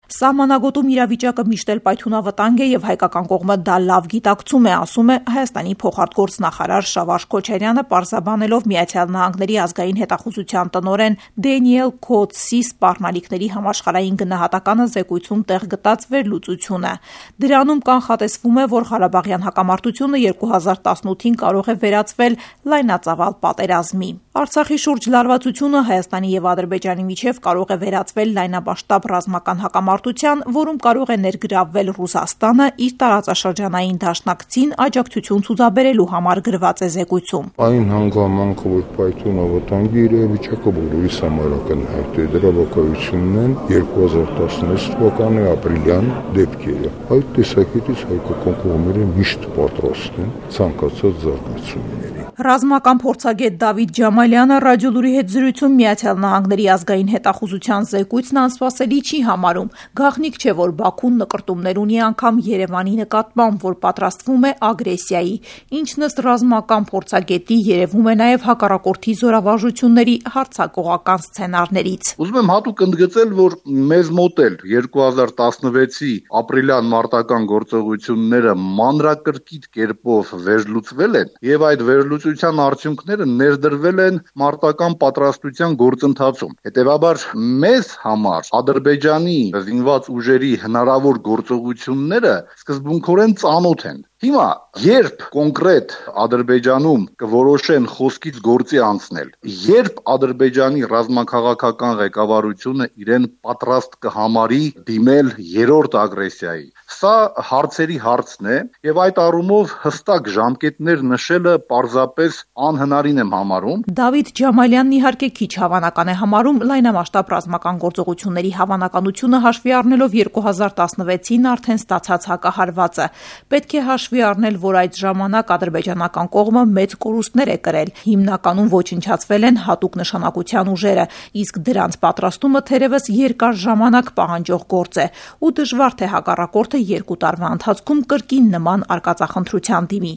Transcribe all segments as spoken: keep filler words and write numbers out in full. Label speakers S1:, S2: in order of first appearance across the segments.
S1: Սահմանագոտում իրավիճակը միշտ էլ պայթյունավտանգ է եւ հայկական կողմը դա լավ գիտակցում է, ասում է Հայաստանի փոխարտգործնախարար Շավարշ Քոչարյանը, պարզաբանելով Միացյալ Նահանգների ազգային հետախուզության տնօրեն Դենիել Քոթսի սպառնալիքների համաշխարհային գնահատականը զեկույցում տեղ գտած վերլուծությունը։ Դրանում կանխատեսվում է, որ Ղարաբաղյան հակամարտությունը երկու հազար տասնութին կարող է վերածվել լայնածավալ պատերազմի։ Արցախի շուրջ լարվածությունը Հայաստանի եւ Ադրբեջանի միջև կարող է վերածվել լայնամասշտաբ ռազմական հակամարտության, որում կարող է ներգրավվել Ռուսաստանը իր տարածաշրջանային դաշնակցին աջակցություն ցուցաբերելու համար գրված է զեկույցում։
S2: Այն հանգամանքը, որ պայթյունավտանգի իրավիճակը բոլորիս համար ակնհայտ է, դրա վկայությունն են երկու հազար տասնհինգ թվականի ապրիլյան դեպքերը։ Այդ տեսակետից հայկական կողմերը միշտ պատրաստ են ցանկացած զարգացումների։
S1: Ռազմական փորձագետ Դավիթ Ջամալյանը ռադիոլուրի հետ զրույցում Միացյալ Նահանգների ազգային հետախուզության զեկույցն անսպասելի չի համարում։ Գաղտնիք չէ, որ Բաքուն նկրտումներ ունի անգամ Երևանի նկատմամբ, որ պատրաստվում է ագրեսիայի, ինչն ըստ ռազմական փորձագետի երևում է նաև հակառակորդի զորավարժությունների հարձակողական սցենարներից։
S3: Ուզում եմ հատուկ ընդգծել, որ մեզ մոտ էլ երկու հազար տասնվեցի ապրիլյան մարտական գործողությունները մանրակրկիտ կերպով վերլուծվել են եւ այդ վերլուծության արդյունքները ներդրվել են մարտական պատրաստության գործընթացում։ Հետևաբար մեզ համար Ադրբեջանի զինված ուժերի հնարավոր գործողությունները սկզբունքորեն ծանոթ են։ Հիմա, երբ կոնկրետ Ադրբեջանում կորոշեն խոսքից գործի անցնել, երբ Ադրբեջանի ռազմաքաղաքական ղեկավարությունը իրեն պատրաստ կհամարի դիմել երրորդ ագրեսիայի, սա հարցերի հարցն է եւ այդ առումով հստակ ժամկետներ նշելը պարզապես անհնարին եմ համարում։
S1: Դավիթ Ջամալյանն իհարկե քիչ հավանական է համարում լայնամասշտաբ ռազմական գործողությունների հավանականությունը հաշվի առնելով երկու հազար տասնվեցին արդեն ստացած հակահարվածը։ Պետք է հաշվի առնել, որ այդ ժամանակ ադրբեջանական կողմը մեծ կորուստներ է կրել։ Հիմնականում ոչնչացվել են հատուկ նշանակության ուժերը, իսկ դրանց պատրաստումը թերևս երկար ժամանակ պահանջող գործ է, ու դժվար թե հակառակորդը երկու տարվա ընթացքում կրկին նման արկածախնդրության դիմի։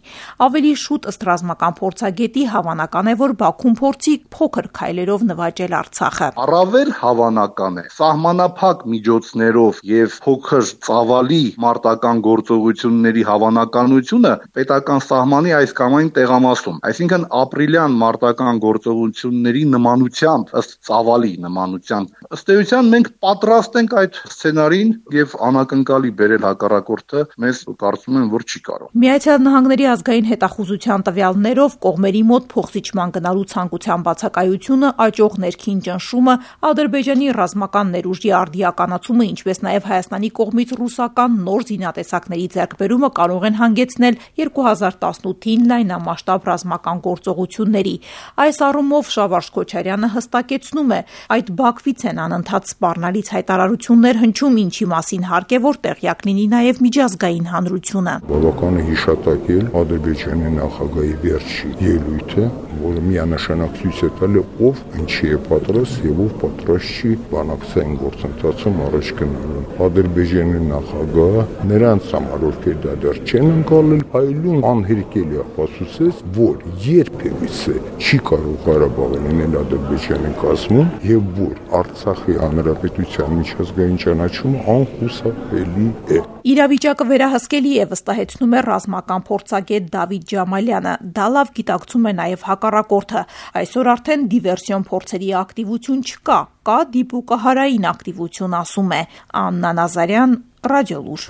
S1: Ավելի շուտ ըստ ռազմական փորձագետի հավանական է, որ Բաքուն փորձի փոքր քայլերով նվաճել Արցախը։
S3: Առավել հավանական է սահմանափակ միջոցներով եւ փոքր ծավալի մարտական գործողությունների հավանականությունը պետական սահմանի այս կամ այն տեղամասում, այսինքն ապրիլյան մարտական գործողությունների նմանությամբ, ըստ ծավալի նմանությամբ, ըստ էության մենք պատրաստ ենք այդ սցենարին եւ անակնկալի բերել հակառակորդը մեզ կարծում եմ, որ չի կարող։
S1: Միացյալ Նահանգների ազգային հետախուզության տվյալներով կողմերի մոտ փոխզիջման գնալու ցանկության բացակայությունը, աճող ներքին ճնշումը, Ադրբեջանի ռազմական ներուժի արդիականացումը, ինչպես նաև Հայաստանի կողմից ռուսական նոր զինատեսակների ձեռքբերումը կարող են հանգեցնել երկու հազար տասնութին լայնամասշտաբ ռազմական գործողությունների։ Այս առումով Շավարշ Քոչարյանը հստակեցնում է, այդ Բաքվից են անընդհատ սպառնալից հայտարարություններ հնչում, ինչի մասին հարկ է, որ տեղյակ լինի նաև միջազգային հանրությունը։
S2: Բավական է հիշատակել Ադրբեջանի նախագահի վերջի ելույթը, որը միանշանակ ցույց է տալի ով ինչի է պատրաստ եւ ով պատրաստ չի բանակցային գործընթացում առաջ գնալու։ Ադրբեջանի նախագահը նրանց համար ովքեր դա դեռ չեն ընկալել, այլուն անհերքելի ապացուցեց, որ երբևիցե չի կարող Ղարաբաղը լինել Ադրբեջանի կազմում եւ որ Արցախի հանրապետության միջազգային ճանաչումը անխուսափելի է։
S1: Իրավիճակը վերահսկելի է, վստահեցնում է ռազմական փորձագետ Դավիթ Ջամալյանը։ Դա լավ գիտակցում է նաև հակառակորդը։ Այսօր արդեն դիվերսիոն փորձերի ակտիվություն չկա, կա դիպուկահարային ակտիվություն, ասում է Աննա Նազարյան, Ռադիոլուր։